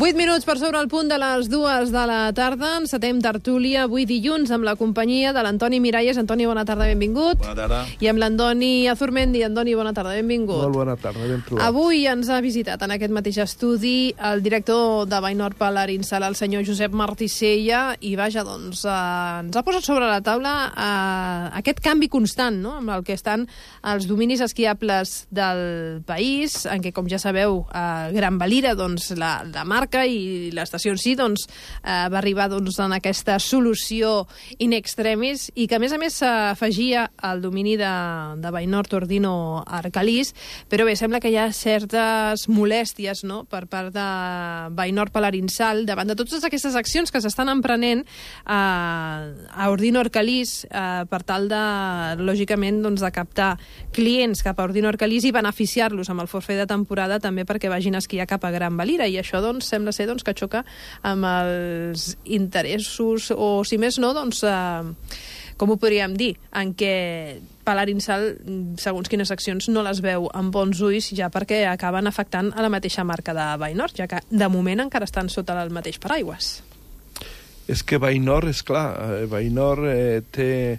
8 minuts per sobre el punt de les 2 de la tarda. Encetem tertúlia avui dilluns amb la companyia de l'Antoni Miralles. Antoni, bona tarda, benvingut. Bona tarda. I amb l'Andoni Azurmendi. Andoni, bona tarda, benvingut. Molt bona tarda, ben trobat. Avui ens ha visitat en aquest mateix estudi el director de Bainor Palarinsal, el senyor Josep Martisella, i vaja, doncs, ens ha posat sobre la taula aquest canvi constant, no?, amb el que estan els dominis esquiables del país, en què, com ja sabeu, Gran Valira, doncs, la marca i l'estació en si, doncs, va arribar, doncs, en aquesta solució in extremis i que, a més, s'afegia al domini de Bainor Tordino Arcalís, però bé, sembla que hi ha certes molèsties, no?, per part de Bainor Palarinsal davant de totes aquestes accions que s'estan emprenent a Ordino Arcalís per tal de, lògicament, doncs, de captar clients cap a Ordino Arcalís i beneficiar-los amb el forfait de temporada també perquè vagin a esquiar cap a Gran Valira, i això, doncs, sembla ser, doncs, que xoca amb els interessos, o si més no, doncs, com ho podríem dir, en què Palarinsal, segons quines accions, no les veu amb bons ulls, ja perquè acaben afectant a la mateixa marca de Bainor, ja que de moment encara estan sota el mateix paraigües. És que Bainor, és clar, Bainor té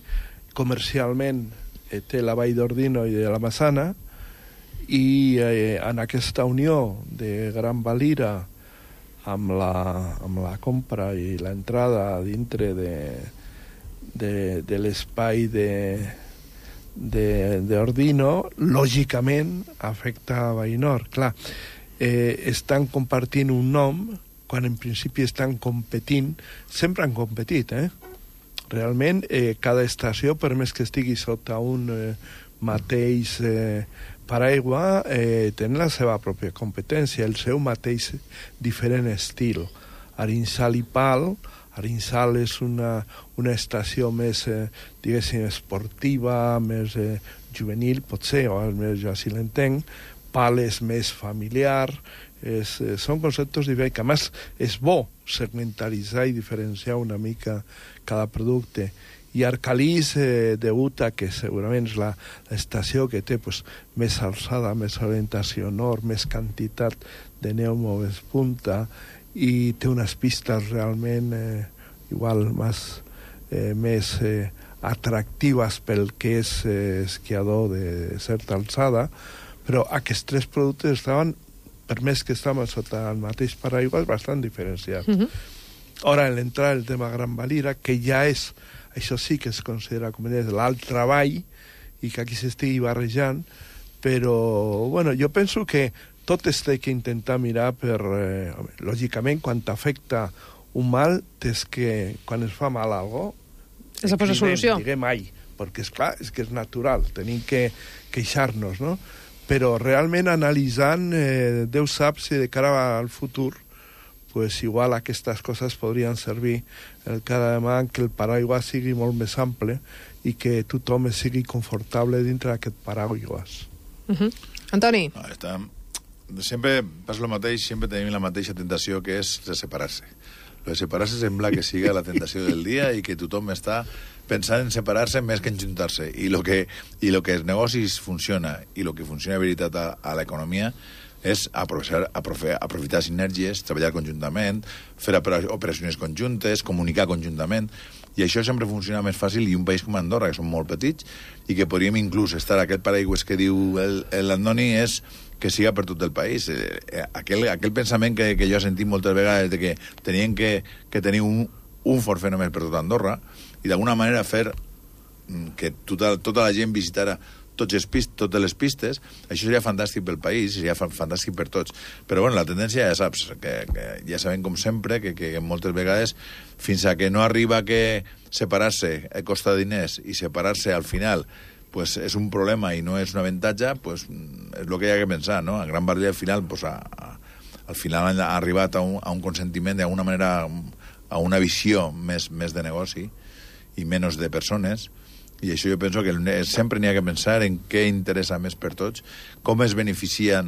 comercialment té la Vall d'Ordino i de la Massana, i en aquesta unió de Gran Valira amb la compra i l'entrada dintre de l'espai d'Ordino, lògicament afecta a Bainor. Clar, estan compartint un nom quan en principi estan competint, sempre han competit, Realment, cada estació, per més que estigui sota un mateix paraigua, tenen la seva pròpia competència, el seu mateix diferent estil. Arinsal i Pal. Arinsal és una estació més, diguéssim, esportiva, més juvenil, potser, o almenys jo així l'entenc. Pal és més familiar. Són conceptes diferents, que a més és bo segmentaritzar i diferenciar una mica cada producte. I Arcalís degut a que segurament és l'estació que té més alçada, més orientació nord, més quantitat de neu, més punta, i té unes pistes realment igual més atractives pel que és esquiador de certa alçada, però aquests tres productes estaven, per més que estaven sota el mateix paraigua, bastant diferenciats. Ara, en l'entrada del tema Gran Valira, que ja és, això sí que es considera com l'alt treball, i que aquí s'estigui barrejant, però, bueno, jo penso que tot es té que intentar mirar per, lògicament, quan t'afecta un mal, és que quan es fa mal a algú, es posa solució. Diguem ai, perquè, esclar, és que és natural, tenim que queixar-nos, no? Però realment analitzant, Déu sap si de cara al futur, pues igual aquestes coses podrien servir el cada demà que el paraigua sigui molt més ample i que tothom sigui confortable dintre d'aquest paraigua. Antoni? Sempre passa el mateix, sempre tenim la mateixa tentació, que és de separar-se. De separar-se sembla que siga la tentació del dia i que tothom està pensant en separar-se més que en juntar-se. I lo que els negocis funciona i el que funciona de veritat a l'economia és aprofitar sinergies, treballar conjuntament, fer operacions conjuntes, comunicar conjuntament, i això sempre funciona més fàcil, i un país com Andorra, que som molt petits, i que podríem inclús estar a aquest paraigües que diu l'Andoni, és que siga per tot el país. Aquell pensament que jo he sentit moltes vegades de que tenien que tenir un forfait només per tot Andorra, i d'alguna manera fer que tota la gent visitara totes les pistes, això seria fantàstic pel país, seria fantàstic per tots. Però bueno, la tendència ja saps, que ja sabem com sempre, que moltes vegades, fins a que no arriba que separar-se costa diners i separar-se al final pues, és un problema i no és un avantatge, pues, és el que hi ha que pensar, no? A Gran Valira al final, pues, al final han arribat a un consentiment, d'alguna manera, a una visió més de negoci i menys de persones. I això jo penso que sempre n'hi ha que pensar en què interessa més per tots, com es beneficia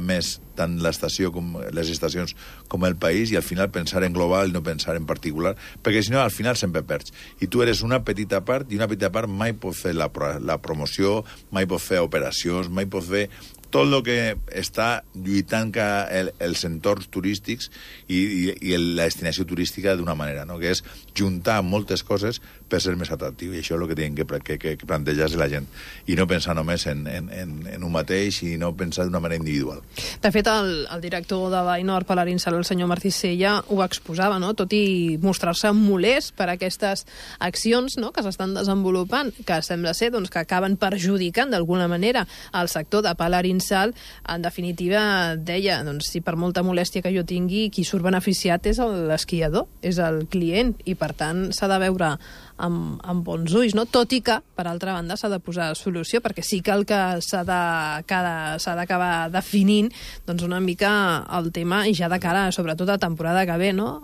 més tant l'estació com les estacions com el país, i al final pensar en global i no pensar en particular, perquè si no al final sempre perds. I tu eres una petita part, i una petita part mai pot fer la promoció, mai pot fer operacions, mai pot fer tot el que està lluitant els entorns turístics i la destinació turística d'una manera, no? Que és juntar moltes coses per ser més atractiu, i això és el que tenen que plantejar-se la gent, i no pensar només en un mateix i no pensar d'una manera individual. De fet, el director de Bainor, Palarín Sala, el senyor Martí Sella, ho exposava, no? Tot i mostrar-se molest per aquestes accions, no?, que s'estan desenvolupant, que sembla ser doncs, que acaben perjudicant d'alguna manera el sector de Palarín Sal. En definitiva, deia, doncs, si per molta molèstia que jo tingui, qui surt beneficiat és l'esquiador, és el client, i per tant s'ha de veure amb bons ulls, no? Tot i que, per altra banda, s'ha de posar solució, perquè sí que el que s'ha d'acabar definint doncs una mica el tema, i ja de cara, sobretot a temporada que ve, no?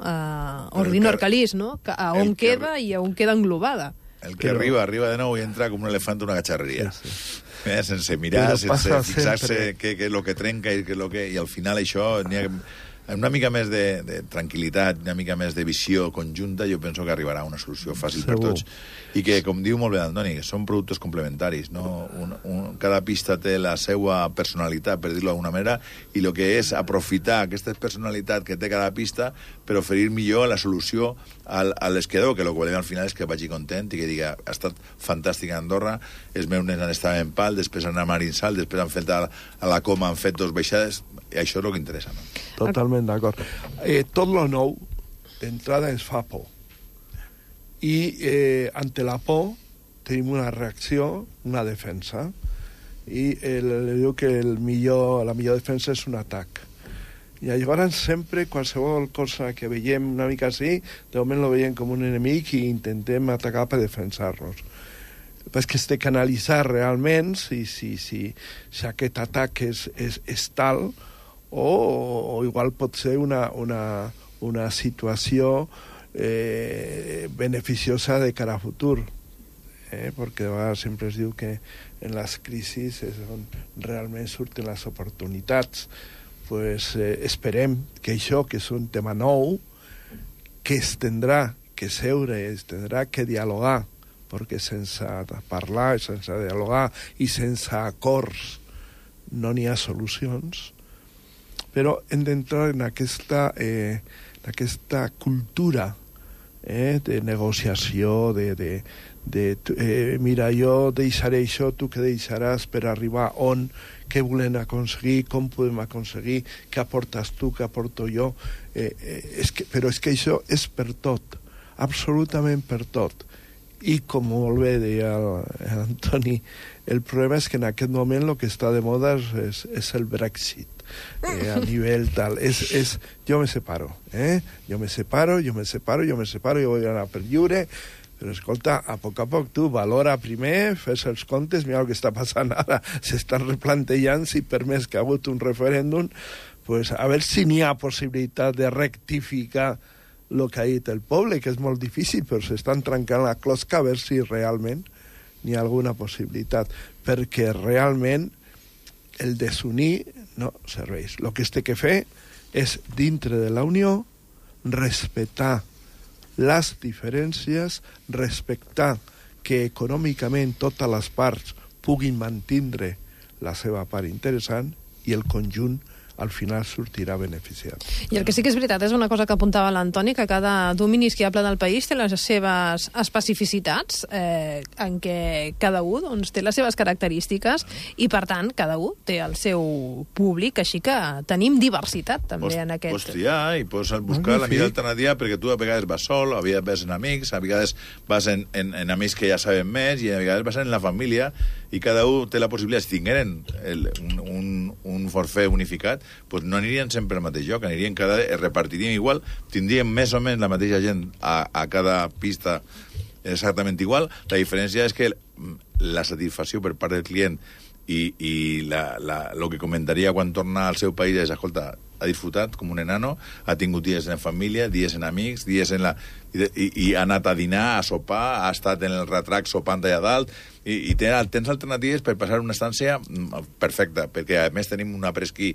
Ordinor Calís, no? A on queda i a on queda englobada. El que arriba de nou i entra com un elefant en una cacharreria. Sí. Sense mirar, sense fixar-se què és el que trenca i al final això n'hi ha una mica més de tranquil·litat, una mica més de visió conjunta, jo penso que arribarà a una solució fàcil per tots. I que, com diu molt bé Antoni, són productes complementaris, no? Cada pista té la seva personalitat, per dir-ho d'alguna manera, i el que és aprofitar aquesta personalitat que té cada pista per oferir millor la solució a l'esquiador, que el que volem al final és que vagi content i que diga, ha estat fantàstic a Andorra, els meus nens han estat en Pal, després han anat a Marinsal, després han fet a la Coma, han fet 2 baixades, i això és el que interessa, no? Totalment d'acord. Tot lo nou, d'entrada, ens fa por. I ante la por tenim una reacció, una defensa. I diu que la millor defensa és un atac. I llavors sempre, qualsevol cosa que veiem una mica així, de moment lo veiem com un enemic i intentem atacar per defensar-nos. Però que has de canalitzar realment si aquest atac és tal, o igual pot ser una situació beneficiosa de cara a futur, perquè de vegades sempre es diu que en les crisis és on realment surten les oportunitats. Pues esperem que això, que és un tema nou, que es tindrà que seure, es tindrà que dialogar, perquè sense parlar, sense dialogar i sense acords no n'hi ha solucions. Però hem d'entrar en aquesta cultura de negociació, mira, jo deixaré això, tu què deixaràs per arribar on, què volem aconseguir, com podem aconseguir, què aportes tu, què aporto jo. Però és que això és per tot, absolutament per tot. I com molt bé deia l'Antoni, el problema és que en aquest moment el que està de moda és el Brexit. A nivell tal, jo me separo, jo vull anar per lliure, però escolta, a poc tu valora primer, fes els comptes, mira el que està passant ara, s'estan replantejant si per més que ha hagut un referèndum, pues a veure si n'hi ha possibilitat de rectificar el que ha dit el poble, que és molt difícil, però s'estan trencant la closca a veure si realment n'hi ha alguna possibilitat, perquè realment el desunir no serveix. El que es té que fer és, dintre de la Unió, respectar les diferències, respectar que econòmicament totes les parts puguin mantindre la seva part interessant i el conjunt al final sortirà beneficiat. I el que sí que és veritat és una cosa que apuntava l'Antoni, que cada domini esquiable del país té les seves especificitats, en què cada un doncs, té les seves característiques i, per tant, cada un té el seu públic, així que tenim diversitat també en aquest... Pots triar i pots buscar la millor alternativa, perquè tu a vegades vas sol, a vegades vas en amics, a vegades vas en amics que ja saben més i a vegades vas en la família, i cada un té la possibilitat, si tingueren un forfait unificat, pues no anirien sempre al mateix lloc, repartiríem igual, tindríem més o menys la mateixa gent a cada pista exactament igual. La diferència és que la satisfacció per part del client i el que comentaria quan torna al seu país és, escolta, ha disfrutat com un enano, ha tingut dies en família, dies en amics, dies en la... I ha anat a dinar, a sopar, ha estat en el retrac sopant allà dalt, i tens alternatives per passar una estància perfecta, perquè a més tenim un après-ski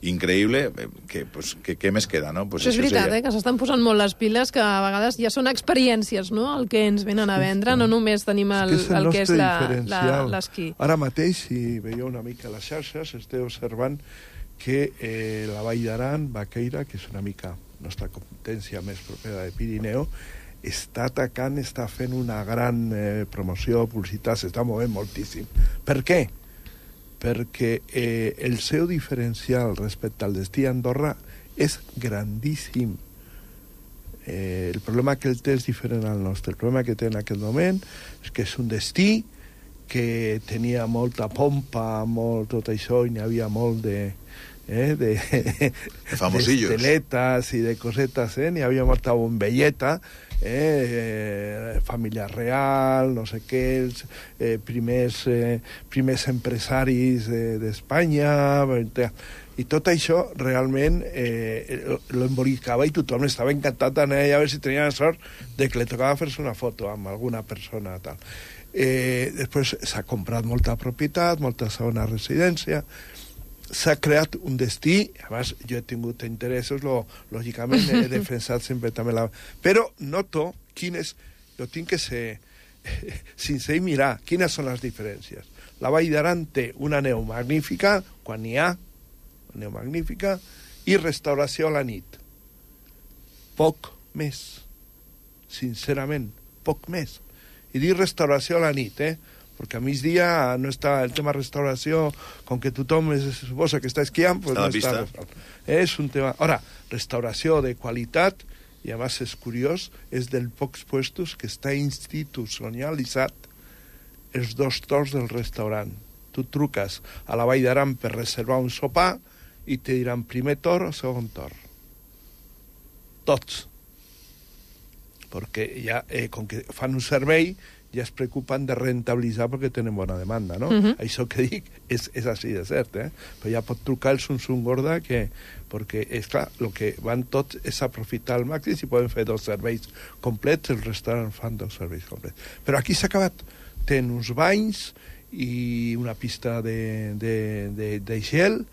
increïble, que què més queda, no? Pues és veritat, que s'estan posant molt les piles, que a vegades ja són experiències, no?, el que ens venen a vendre, no només tenim el que és l'esquí. Ara mateix, si veieu una mica les xarxes, esteu observant que la Vall d'Aran, Baqueira, que és una mica nostra competència més propera de Pirineu, està atacant, està fent una gran promoció, publicitat, s'està movent moltíssim. Per què? Perquè el seu diferencial respecte al destí a Andorra és grandíssim. El problema que el té és diferent al nostre. El problema que té en aquest moment és que és un destí que tenia molta pompa, tot això, i n'hi havia molt de esteletes i de cosetes, n'hi havia molta bombelleta, família real, no sé què, primers empresaris d'Espanya, i tot això realment lo embolicava i tothom estava encantat d'anar a veure si tenia la sort de que li tocava fer-se una foto amb alguna persona tal. Després s'ha comprat molta propietat, molta segona residència, s'ha creat un destí, abans jo he tingut interessos, lògicament he defensat sempre també però noto quines, jo tinc que ser sincer i mirar quines són les diferències. La Vall d'Aran té una neu magnífica, quan n'hi ha, neu magnífica, i restauració a la nit. Poc més, sincerament, poc més. I dic restauració a la nit, perquè a migdia no està el tema restauració, com que tothom es suposa que està esquiant, pues no està resolt. És un tema... Ara, restauració de qualitat, i a més és curiós, és dels pocs puestos que està institucionalitzat els 2 torns del restaurant. Tu truques a la Vall d'Aran per reservar un sopar i te diran primer torn o segon torn. Tots. Perquè ja, com que fan un servei, ja es preocupen de rentabilitzar perquè tenen bona demanda, no? Això que dic és així de cert, Però ja pot trucar el Samsung Gorda, perquè, és clar, el que van tots és aprofitar al màxim, si poden fer 2 serveis complets, els restaurants fan 2 serveis complets. Però aquí s'ha acabat. Tenen uns banys i una pista de gel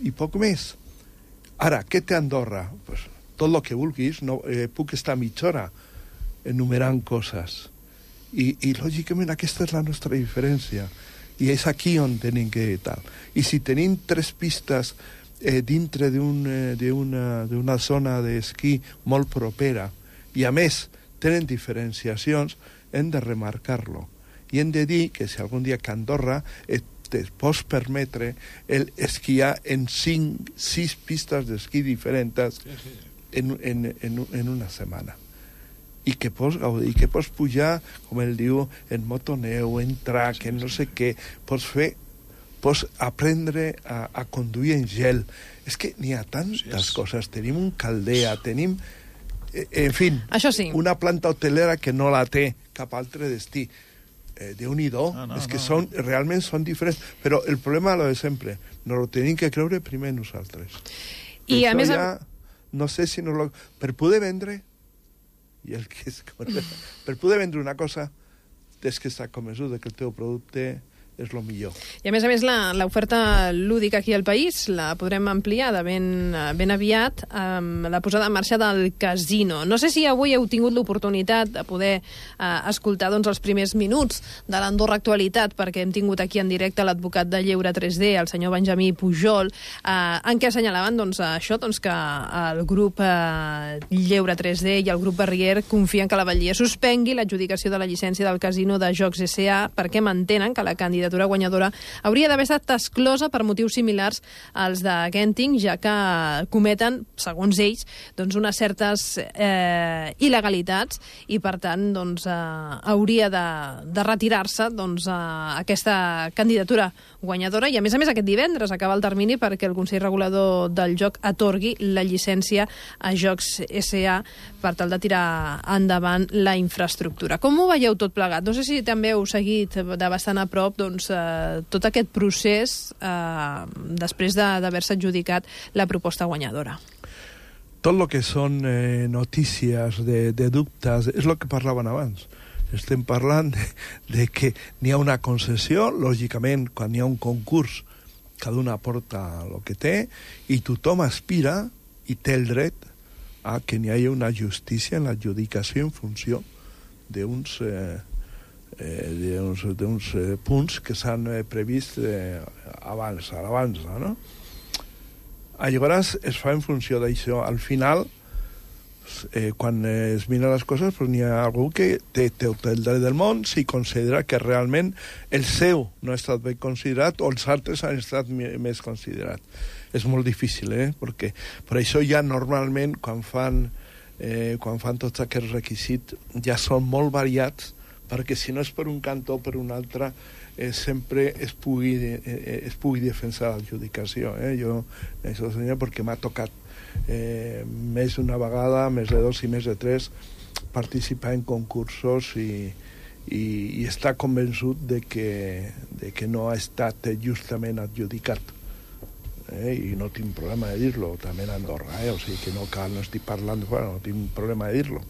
i poc més. Ara, què té Andorra? Pues, tot el que vulguis, no, puc estar mitja hora enumerant coses. I lògicament aquesta és la nostra diferència i és aquí on tenim que tal. I si tenim 3 pistes dintre d'una zona d'esquí molt propera i a més tenen diferenciacions, hem de remarcar-lo i hem de dir que si algun dia que Andorra et pots permetre esquiar en 6 pistes d'esquí diferents en una setmana i que pots gaudir, i que pots pujar, com ell diu, en motoneu, en trac, en no sé què, pots aprendre a conduir en gel. És que n'hi ha tantes coses. Tenim un Caldea, tenim, en fi, una planta hotelera que no la té cap altre destí. Déu-n'hi-do, és que realment són diferents. Però el problema és lo de sempre. No lo tenim que creure primer nosaltres. I a més... No sé si per poder vendre... I el que és... Per poder vendre una cosa, tens que estar convençut que el teu producte és el millor. I a més, l'oferta lúdica aquí al país la podrem ampliar de ben aviat amb la posada en marxa del casino. No sé si avui heu tingut l'oportunitat de poder escoltar els primers minuts de l'Andorra Actualitat, perquè hem tingut aquí en directe l'advocat de Lleure 3D, el senyor Benjamí Pujol, en què assenyalaven això, que el grup Lleure 3D i el grup Barrier confien que la Batllia suspengui l'adjudicació de la llicència del casino de Jocs S.A. perquè mantenen que la candidatura guanyadora hauria d'haver estat exclosa per motius similars als de Genting, ja que cometen, segons ells, unes certes il·legalitats i, per tant, hauria de retirar-se aquesta candidatura guanyadora. I, a més, aquest divendres acaba el termini perquè el Consell Regulador del Joc atorgui la llicència a Jocs S.A. per tal de tirar endavant la infraestructura. Com ho veieu tot plegat? No sé si també heu seguit de bastant a prop tot aquest procés després d'haver-se adjudicat la proposta guanyadora? Tot el que són notícies de dubtes és el que parlaven abans. Estem parlant de que n'hi ha una concessió, lògicament, quan hi ha un concurs, cada una aporta el que té, i tothom aspira i té el dret a que n'hi hagi una justícia en l'adjudicació en funció d'uns punts que s'han previst abans, a l'avança, no? Llavors es fa en funció d'això. Al final, quan es miren les coses, pues, n'hi ha algú que té tot el dret del món si considera que realment el seu no ha estat ben considerat o els altres han estat més considerats. És molt difícil, perquè per això ja normalment quan fan tots aquests requisits ja són molt variats, perquè si no és per un cantó o per un altre sempre es pugui defensar l'adjudicació. Jo això senyor perquè m'ha tocat més d'una vegada, més de 2 i més de 3, participar en concursos i estar convençut de que no ha estat justament adjudicat. I no tinc problema de dir-lo, també a Andorra, o sigui que no estic parlant de fora, no tinc problema de dir-lo.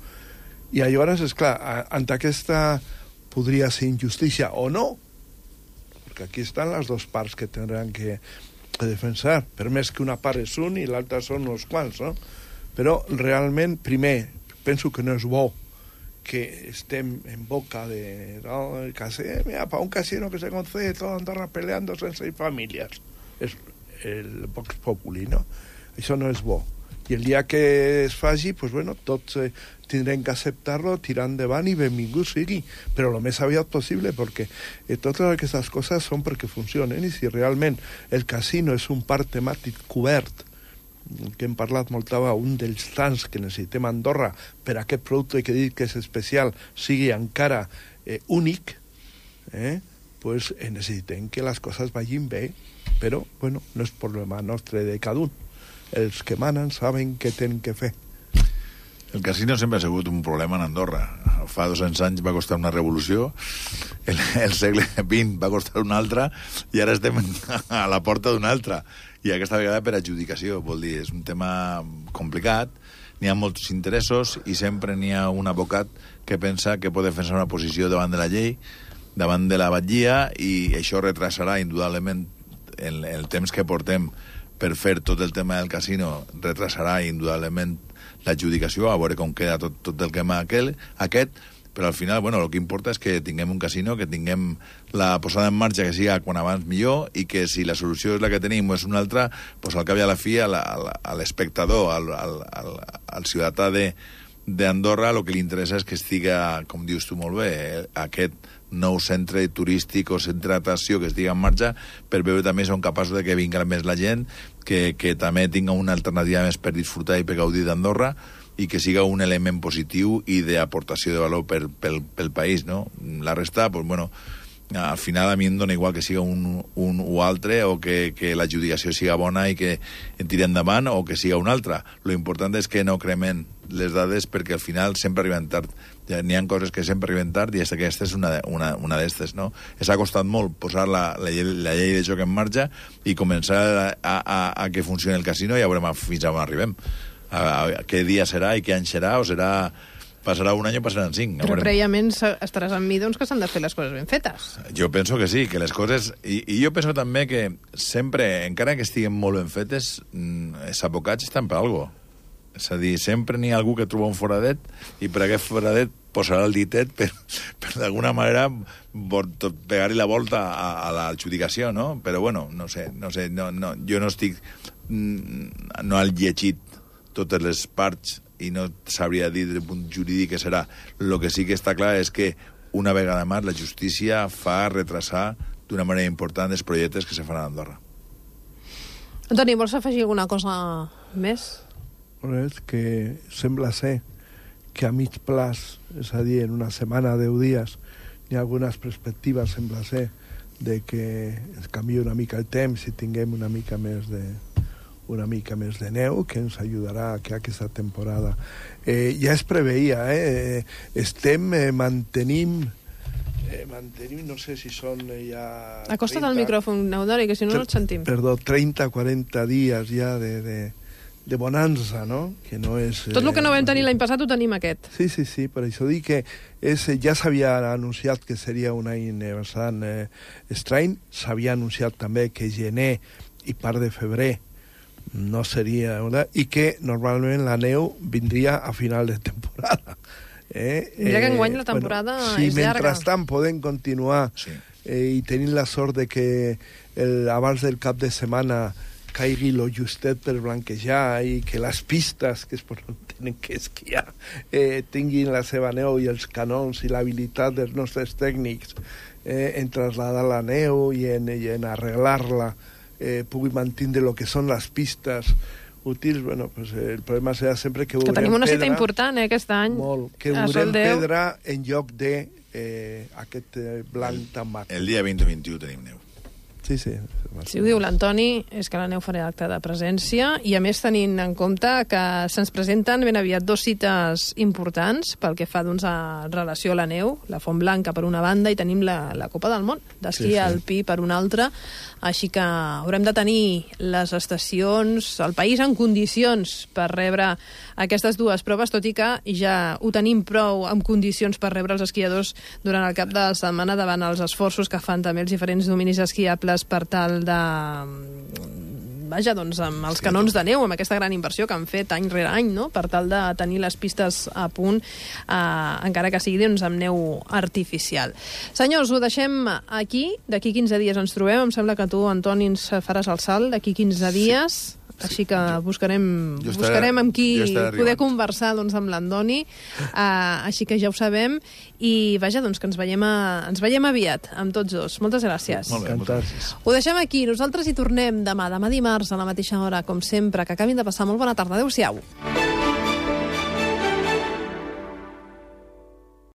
I llavors, esclar, ante aquesta podria ser injustícia o no, perquè aquí estan les dues parts que tindran que defensar, per més que una part és un i l'altra són uns quants, no? Però realment, primer, penso que no és bo que estem en boca de el casino, mira, para un casino que se concede toda Andorra peleándose en 6 familias. És el Vox Populi, no? Això no és bo. I el dia que es faci, pues bueno, tots tindrem que acceptar-lo, tirar endavant i benvingut sigui, però el més aviat possible, perquè totes aquestes coses són perquè funcionen, i si realment el casino és un parc temàtic cobert, que hem parlat molt abans, un dels tants que necessitem a Andorra per a aquest producte que he dit que és especial sigui encara únic, pues necessitem que les coses vagin bé, però bueno, no és problema nostre de cada un. Els que manen saben què tenen que fer. El casino sempre ha sigut un problema en Andorra. Fa 200 anys va costar una revolució, el segle XX va costar una altra, i ara estem a la porta d'una altra. I aquesta vegada per adjudicació, vol dir, és un tema complicat, n'hi ha molts interessos i sempre n'hi ha un advocat que pensa que pot defensar una posició davant de la llei, davant de la batllia, i això retrasarà indudablement el temps que portem per fer tot el tema del casino, retrasarà indudablement l'adjudicació, a veure com queda tot el tema aquest, però al final, bueno, el que importa és que tinguem un casino, que tinguem la posada en marxa que siga quan abans millor, i que si la solució és la que tenim o és una altra, pues al cap i a la fi a l'espectador, al ciutadà d'Andorra, el que li interessa és que estiga, com dius tu molt bé, aquest nou centre turístic o centre d'atracció que estigui en marxa, per veure també si són capaços de que vingui més la gent, que també tinga una alternativa més per disfrutar i per gaudir d'Andorra, i que siga un element positiu i d'aportació de valor pel país, no? La resta, pues bueno, al final a mi em dona igual que siga un o altre, o que l'adjudicació siga bona i que en tiri endavant, o que siga un altre. Lo important és que no cremen les dades, perquè al final sempre arriben tard. Ja n'hi ha coses que sempre arriben tard, i aquesta és una d'estes, no? S'ha costat molt posar la llei de joc en marxa i començar a que funcioni el casino, i ja veurem fins on arribem. Què dia serà i què any serà, o serà... Passarà un any o passaran 5. Però prèviament estaràs amb mi, doncs, que s'han de fer les coses ben fetes. Jo penso que sí, que les coses... I jo penso també que sempre, encara que estiguen molt ben fetes, els advocats estan per alguna cosa. És a dir, sempre n'hi ha algú que troba un foradet, i per aquest foradet posarà el ditet per d'alguna manera pegar-hi la volta a l'adjudicació, no? Però bueno, no sé, jo no estic... No he llegit totes les parts i no sabria dir des del punt jurídic què serà. El que sí que està clar és que una vegada més la justícia fa retrasar d'una manera important els projectes que se fan a Andorra. Antoni, vols afegir alguna cosa més? És que sembla ser que a mig plaç, és a dir, en una setmana, 10 dies, hi ha algunes perspectives, sembla ser, de que es canvia una mica el temps i tinguem una mica més de neu, que ens ajudarà a que aquesta temporada ja es preveia, mantenim mantenim, no sé si són ja... Acosta't al micròfon, Eudori, que si no no et sentim. Perdó, 30-40 dies ja de bonança, no? Que no és... Tot el que no vam tenir l'any passat ho tenim aquest. Sí, per això dic que ja s'havia anunciat que seria un any bastant estrany, s'havia anunciat també que gener i part de febrer no seria... I que normalment la neu vindria a final de temporada. Mira que enguany la temporada és llarga. Si mentrestant podem continuar i tenint la sort de que abans del cap de setmana caigui lo justet per blanquejar i que les pistes que es tenen que esquiar tinguin la seva neu i els canons i l'habilitat dels nostres tècnics en traslladar la neu i en arreglar-la pugui mantenir el que són les pistes útils, bueno, pues el problema serà sempre que veurem tenim una pedra, cita important aquest any. Molt, que veurem pedra en lloc de aquest blanc tan mat. El dia 20 o 21 tenim neu. Sí. Si ho diu l'Antoni, és que la neu farà acte de presència i, a més, tenint en compte que se'ns presenten ben aviat 2 cites importants pel que fa doncs, a relació a la neu, la Font Blanca per una banda i tenim la Copa del Món d'esquí alpí per una altra, així que haurem de tenir les estacions, el país en condicions per rebre aquestes 2 proves, tot i que ja ho tenim prou en condicions per rebre els esquiadors durant el cap de setmana davant els esforços que fan també els diferents dominis esquiables per tal de... Vaja, doncs, amb els canons de neu, amb aquesta gran inversió que han fet any rere any, no?, per tal de tenir les pistes a punt, encara que sigui doncs, amb neu artificial. Senyors, ho deixem aquí. D'aquí 15 dies ens trobem. Em sembla que tu, Antoni, ens faràs el salt d'aquí 15 dies. Així que buscarem amb qui poder conversar doncs, amb l'Andoni, així que ja ho sabem, i vaja, doncs que ens veiem aviat amb tots 2. Moltes gràcies. Molt bé, moltes gràcies. Ho deixem aquí, nosaltres hi tornem demà dimarts a la mateixa hora, com sempre. Que acabin de passar molt bona tarda. Adéu-siau.